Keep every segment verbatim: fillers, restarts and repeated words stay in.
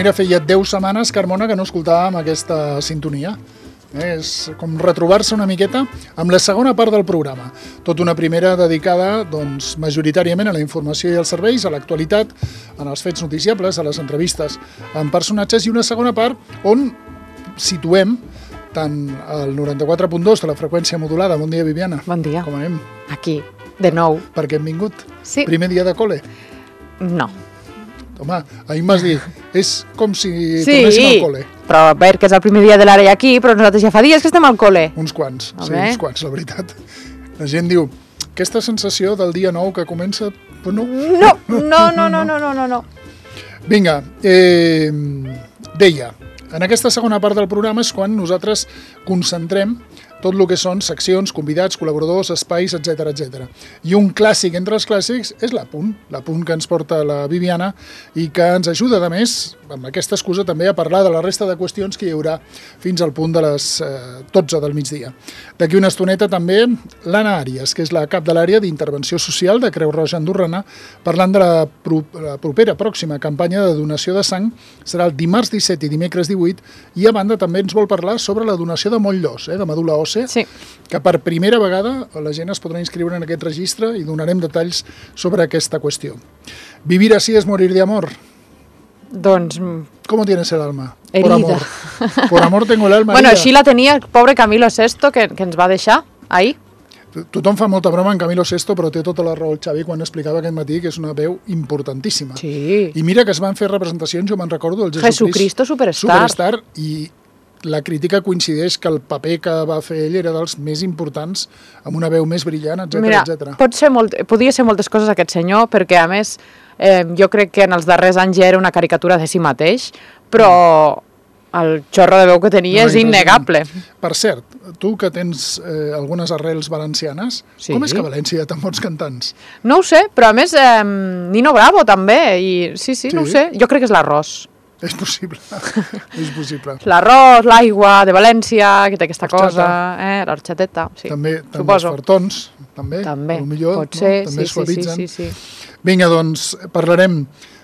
mira, feia deu setmanes, Carmona, que no escoltàvem aquesta sintonia. Eh, és com retrobar-se una miqueta amb la segona part del programa. Tot una primera dedicada, doncs, majoritàriament a la informació i als serveis, a l'actualitat, en els fets noticiables, a les entrevistes amb personatges, i una segona part on situem tant el noranta-quatre punt dos de la freqüència modulada. Bon dia, Viviana. Bon dia. Com anem? Aquí, de nou. Per què hem vingut? Sí. Primer dia de col·le? No. Home, ahir m'has dit, és com si sí, tornéssim al col·le. Però a veure, que és el primer dia de l'ara aquí, però nosaltres ja fa dies que estem al col·le. Uns quants, a sí, bé. uns quants, la veritat. La gent diu, aquesta sensació del dia nou que comença... Però no. No, no, no, no, no, no, no, no. Vinga, eh, deia, en aquesta segona part del programa és quan nosaltres concentrem tot el que són seccions, convidats, col·laboradors, espais, etcètera, etcètera. I un clàssic entre els clàssics és l'apunt, l'apunt que ens porta la Viviana i que ens ajuda, a més, amb aquesta excusa també a parlar de la resta de qüestions que hi haurà fins al punt de les eh, dotze del migdia. D'aquí una estoneta també l'Anna Àries, que és la cap de l'àrea d'intervenció social de Creu Roja Andorrana, parlant de la, pro la propera pròxima campanya de donació de sang. Serà el dimarts disset i dimecres divuit, i a banda també ens vol parlar sobre la donació de moll-d'os, eh, de medul·la òssia, sí. que per primera vegada la gent es podrà inscriure en aquest registre i donarem detalls sobre aquesta qüestió. Vivir así es morir de amor. Doncs... ¿Cómo tienes el alma? Herida. Por amor. Por amor tengo el alma bueno, herida. així la tenia el pobre Camilo Sesto, que, que ens va deixar ahir. Tothom fa molta broma en Camilo Sesto, però té tota la raó el Xavi quan explicava aquest matí que és una veu importantíssima. Sí. I mira que es van fer representacions, jo me'n recordo, el Jesucrist, Jesucristo Superstar. Superstar, i la crítica coincideix que el paper que va fer ell era dels més importants, amb una veu més brillant, etcètera, Mira, etcètera. pot ser molt, podia ser moltes coses aquest senyor, perquè a més eh, jo crec que en els darrers anys ja era una caricatura de si mateix, però el xorro de veu que tenia no, és innegable. Per cert, tu que tens eh, algunes arrels valencianes, sí. Com és que a València hi ha tan bons cantants? No ho sé, però a més eh, Nino Bravo també, i sí, sí, sí, no ho sé, jo crec que és l'arròs. És possible, és possible. L'arròs, l'aigua de València, que té aquesta cosa, eh, l'orxateta, sí, també, també suposo. Els fartons, també, també millor, pot ser, no? També sí, es suavitzen. sí, sí, sí. Vinga, doncs, parlarem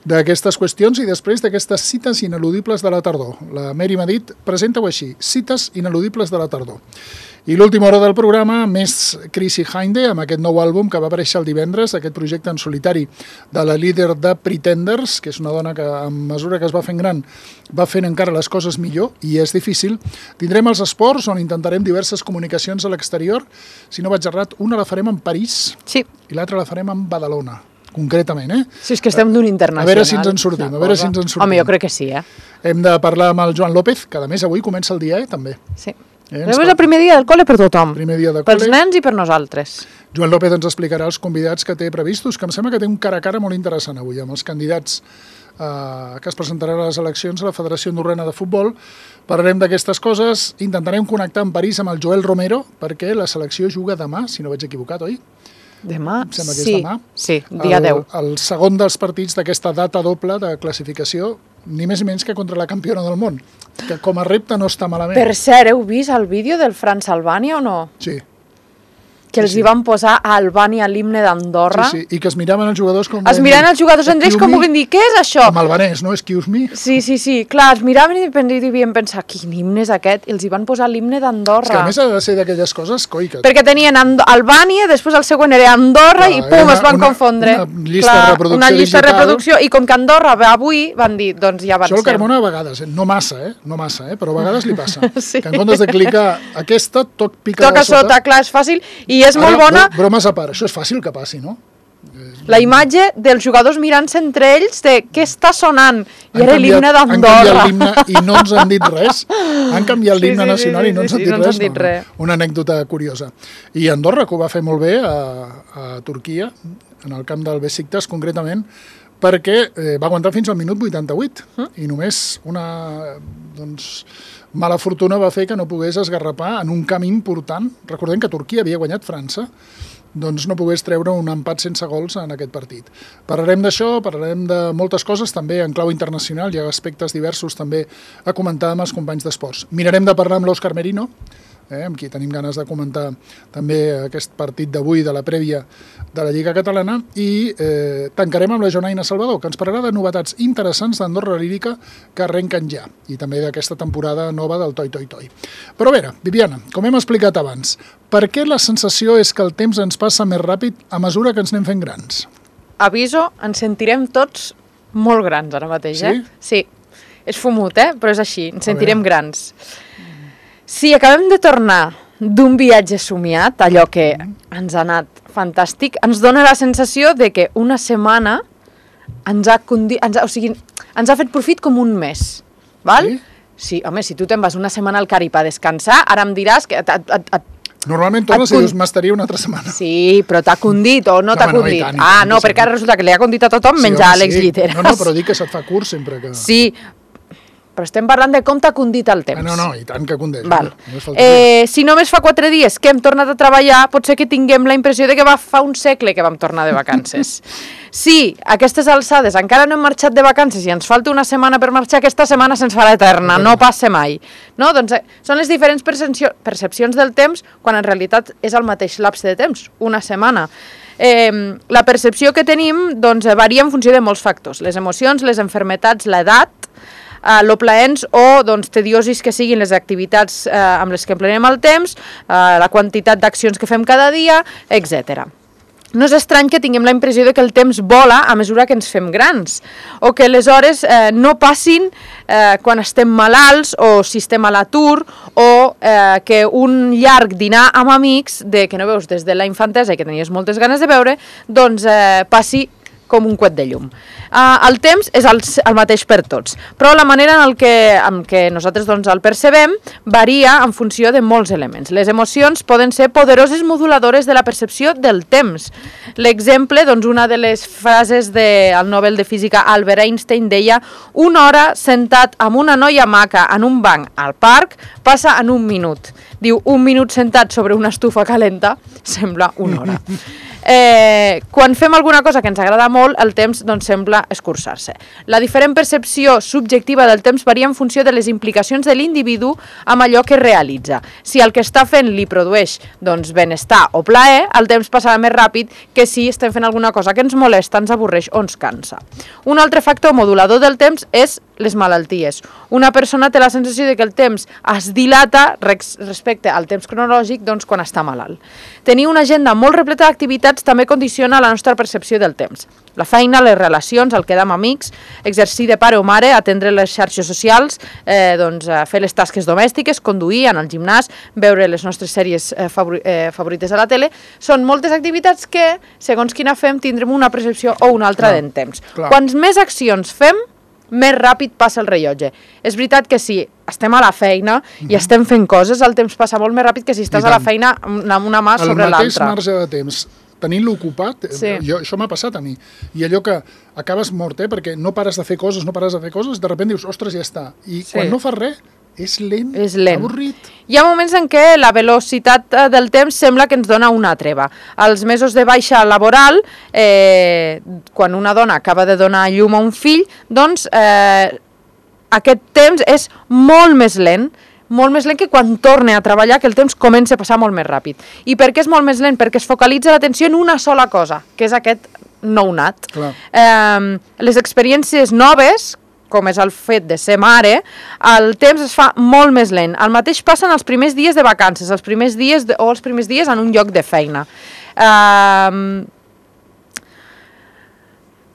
d'aquestes qüestions i després d'aquestes cites ineludibles de la tardor. La Mary m'ha dit, presenta-ho així, cites ineludibles de la tardor. I l'última hora del programa, més Chrissy Hynde, amb aquest nou àlbum que va aparèixer el divendres, aquest projecte en solitari de la líder de Pretenders, que és una dona que, a mesura que es va fent gran, va fent encara les coses millor, i és difícil. Tindrem els esports, on intentarem diverses comunicacions a l'exterior. Si no vaig errat, una la farem en París sí. i l'altra la farem en Badalona. Concretament, eh? Si és que estem d'un internacional. A veure si ens en sortim, a veure si ens en sortim. Home, jo crec que sí, eh? Hem de parlar amb el Joan López, que a més avui comença el dia, eh, també. Sí. Eh, és el primer dia del col·le per tothom. Primer dia de col·le. Pels col·le. nens i per nosaltres. Joan López ens explicarà els convidats que té previstos, que em sembla que té un cara a cara molt interessant avui, amb els candidats eh, que es presentaran a les eleccions a la Federació Andorrana de Futbol. Parlarem d'aquestes coses, intentarem connectar amb París amb el Joel Romero, perquè la selecció juga demà, si no vaig equivocat, oi? Demà? Em sembla que sí, és demà. Sí, dia el, deu. El segon dels partits d'aquesta data doble de classificació, ni més ni menys que contra la campiona del món, que com a repte no està malament. Per cert, heu vist el vídeo del France Albània o no? Sí. Que els sí, sí. hi van posar a Albània l'himne d'Andorra. Sí, sí, i que es miraven els jugadors com... Es miraven els jugadors entre ells com volien dir, què és això? Com albanès, no? Excuse me. Sí, sí, sí, clar, es miraven i devien pensar, quin himne és aquest? I els hi van posar l'himne d'Andorra. És que a més ha de ser d'aquelles coses, coi, que... Perquè tenien And Albània, després el següent era Andorra, clar, i pum, es van una, confondre. Una llista clar, de reproducció una llista digital. de reproducció, i com que Andorra va avui, van dir, doncs ja avancem. Això el Carmona a vegades, eh? no massa, eh? no massa, eh? però a vegades li passa. Sí. Que en comptes de clicar aquesta, toc pica Toca de sota. sota, clar, és fàcil, i és Ara, molt bona... Bromes a part, això és fàcil que passi, no? La imatge dels jugadors mirant-se entre ells de què està sonant, i era l'himne d'Andorra. Han canviat l'himne i no ens han dit res. Han canviat l'himne sí, sí, nacional sí, i no ens sí, han dit no ens res. han dit No, res. no. Una anècdota curiosa. I Andorra, que ho va fer molt bé a, a Turquia, en el camp del Besiktas concretament, perquè eh, va aguantar fins al minut vuitanta-vuit mm? i només una doncs, mala fortuna va fer que no pogués esgarrapar en un camp important. Recordem que Turquia havia guanyat França, doncs no pogués treure un empat sense gols en aquest partit. Parlarem d'això, parlarem de moltes coses, també en clau internacional, hi ha aspectes diversos també a comentar amb els companys d'esports. Mirarem de parlar amb l'Òscar Merino, eh, amb qui tenim ganes de comentar també aquest partit d'avui de la prèvia de la Lliga Catalana, i eh, tancarem amb la Jonaina Salvador, que ens parlarà de novetats interessants d'Andorra Lírica que arrenquen ja, i també d'aquesta temporada nova del Toi Toi Toi. Però a veure, Viviana, com hem explicat abans, per què la sensació és que el temps ens passa més ràpid a mesura que ens anem fent grans? Aviso, ens sentirem tots molt grans ara mateix, eh? Sí? Sí. És fumut, eh? Però és així, ens sentirem grans. Si acabem de tornar d'un viatge somiat, allò que ens ha anat fantàstic, ens dona la sensació de que una setmana ens ha, condi... ens ha, o sigui, ens ha fet profit com un mes, val? Sí? Sí, home, si tu te'n vas una setmana al Carib a descansar, ara em diràs que... Et, et, et, Normalment tornes i dius, m'estaria una altra setmana. Sí, però t'ha condit o no t'ha no, condit? i tant, i ah, tant, no, sí, perquè ara resulta que li ha condit a tothom sí, menjar home, Àlex sí. Lliteres. No, no, però dic que se't fa curt sempre que... Sí, però estem parlant de com t'ha condit el temps. Ah, no, no, i tant que condeix. Val. No eh, si només fa quatre dies que hem tornat a treballar, pot ser que tinguem la impressió de que va fa un segle que vam tornar de vacances. Si a aquestes alçades encara no hem marxat de vacances i ens falta una setmana per marxar, aquesta setmana se'ns farà eterna, no passa mai. No? Doncs, eh, són les diferents percepcions del temps quan en realitat és el mateix lapse de temps, una setmana. Eh, la percepció que tenim doncs, varia en funció de molts factors, les emocions, les enfermetats, l'edat, Uh, lo plaents o doncs, tediosis que siguin les activitats uh, amb les que emplenem el temps, uh, la quantitat d'accions que fem cada dia, etcètera. No és estrany que tinguem la impressió de que el temps vola a mesura que ens fem grans, o que les hores eh, no passin eh, quan estem malalts o si estem a l'atur, o eh, que un llarg dinar amb amics, de que no veus des de la infantesa i que tenies moltes ganes de veure, doncs eh, passi com un coet de llum. Uh, el temps és el, el mateix per tots, però la manera en, el que, en què nosaltres doncs, el percebem varia en funció de molts elements. Les emocions poden ser poderoses moduladores de la percepció del temps. L'exemple, doncs, una de les frases del Nobel de Física Albert Einstein deia: una hora sentat amb una noia maca en un banc al parc passa en un minut. Diu, un minut sentat sobre una estufa calenta sembla una hora. Eh, quan fem alguna cosa que ens agrada molt, el temps doncs, sembla escurçar-se. La diferent percepció subjectiva del temps varia en funció de les implicacions de l'individu amb allò que realitza. Si el que està fent li produeix doncs, benestar o plaer, el temps passarà més ràpid que si estem fent alguna cosa que ens molesta, ens avorreix o ens cansa. Un altre factor modulador del temps és les malalties. Una persona té la sensació de que el temps es dilata respecte al temps cronològic doncs, quan està malalt. Tenir una agenda molt repleta d'activitats també condiciona la nostra percepció del temps. La feina, les relacions, el quedar amb amics, exercir de pare o mare, atendre les xarxes socials, eh, doncs, fer les tasques domèstiques, conduir, anar al gimnàs, veure les nostres sèries eh, favori eh, favorites a la tele, són moltes activitats que, segons quina fem, tindrem una percepció o una altra d'en temps. Clar. Quants més accions fem, més ràpid passa el rellotge. És veritat que si estem a la feina i estem fent coses, el temps passa molt més ràpid que si estàs a la feina amb una mà sobre l'altra. El mateix marge de temps, tenint-lo ocupat, sí. jo, això m'ha passat a mi. I allò que acabes mort, eh, perquè no pares de fer coses, no pares de fer coses, de sobte dius, ostres, ja està. I sí. quan no fas res, és lent, és lent, avorrit. Hi ha moments en què la velocitat del temps sembla que ens dona una treva. Els mesos de baixa laboral, eh, quan una dona acaba de donar llum a un fill, doncs eh, aquest temps és molt més lent, molt més lent que quan torne a treballar, que el temps comença a passar molt més ràpid. I per què és molt més lent? Perquè es focalitza l'atenció en una sola cosa, que és aquest nounat. Eh, les experiències noves, com és el fet de ser mare, el temps es fa molt més lent. El mateix passa en els primers dies de vacances, els primers dies de, o els primers dies en un lloc de feina. Uh,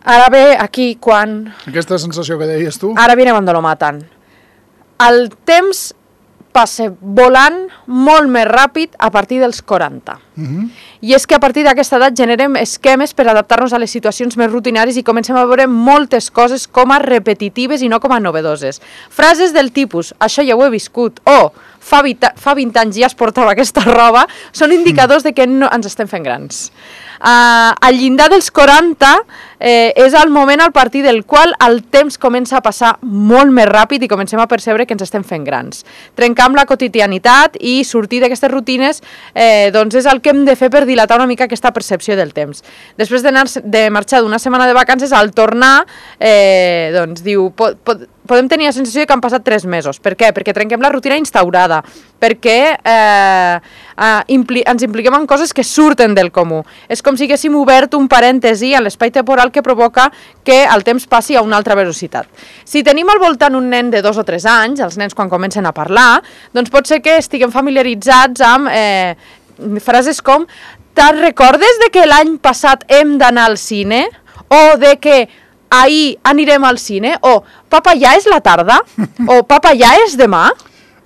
ara ve aquí quan... Aquesta sensació que deies tu? Ara viene cuando lo matan. El temps passa volant molt més ràpid a partir dels quaranta. Uh-huh. I és que a partir d'aquesta edat generem esquemes per adaptar-nos a les situacions més rutinàries i comencem a veure moltes coses com a repetitives i no com a novedoses. Frases del tipus, això ja ho he viscut, o fa vint anys ja es portava aquesta roba, són indicadors de que no ens estem fent grans. Uh, al llindar dels quaranta eh, és el moment al partir del qual el temps comença a passar molt més ràpid i comencem a percebre que ens estem fent grans. Trencar amb la quotidianitat i sortir d'aquestes rutines eh, doncs és el el que hem de fer per dilatar una mica aquesta percepció del temps. Després d'anar de marxar d'una setmana de vacances, al tornar, eh, doncs diu, pot, pot, podem tenir la sensació que han passat tres mesos. Per què? Perquè trenquem la rutina instaurada, perquè eh, eh, impli ens impliquem en coses que surten del comú. És com si haguéssim obert un parèntesi a l'espai temporal que provoca que el temps passi a una altra velocitat. Si tenim al voltant un nen de dos o tres anys, els nens quan comencen a parlar, doncs pot ser que estiguem familiaritzats amb eh, frases com «Te'n recordes de que l'any passat hem d'anar al cine?» o de que ahir anirem al cine, o papa, ja és la tarda, o papa, ja és demà.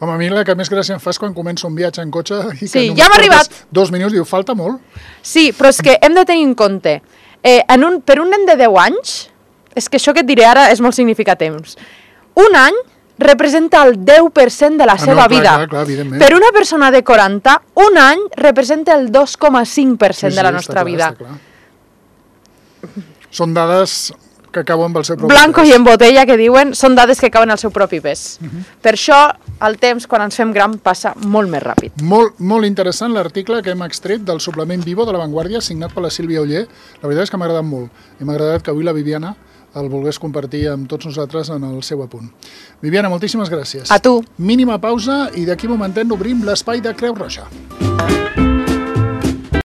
Home, a mi la que més gràcia em fa és quan comença un viatge en cotxe i que sí, només ja hem arribat. Dos minuts, diu, falta molt. Sí, però és que hem de tenir en compte, eh, en un, per un nen de deu anys, és que això que et diré ara és molt significatiu, un any representa el deu per cent de la ah, seva no, clar, vida. Clar, clar, evidentment. Per una persona de quaranta, un any representa el dos coma cinc per cent sí, sí, de la nostra clar, vida. Són dades que cauen amb el seu propi Blanco pes. i en botella, que diuen, són dades que cauen al seu propi pes. Uh -huh. Per això, el temps, quan ens fem gran, passa molt més ràpid. Molt, molt interessant l'article que hem extret del suplement Vivo de La Vanguardia, signat per la Sílvia Oller. La veritat és que m'ha agradat molt. I m'ha agradat que avui la Viviana el volgués compartir amb tots nosaltres en el seu apunt. Viviana, moltíssimes gràcies. A tu. Mínima pausa i d'aquí un momentet obrim l'espai de Creu Roja.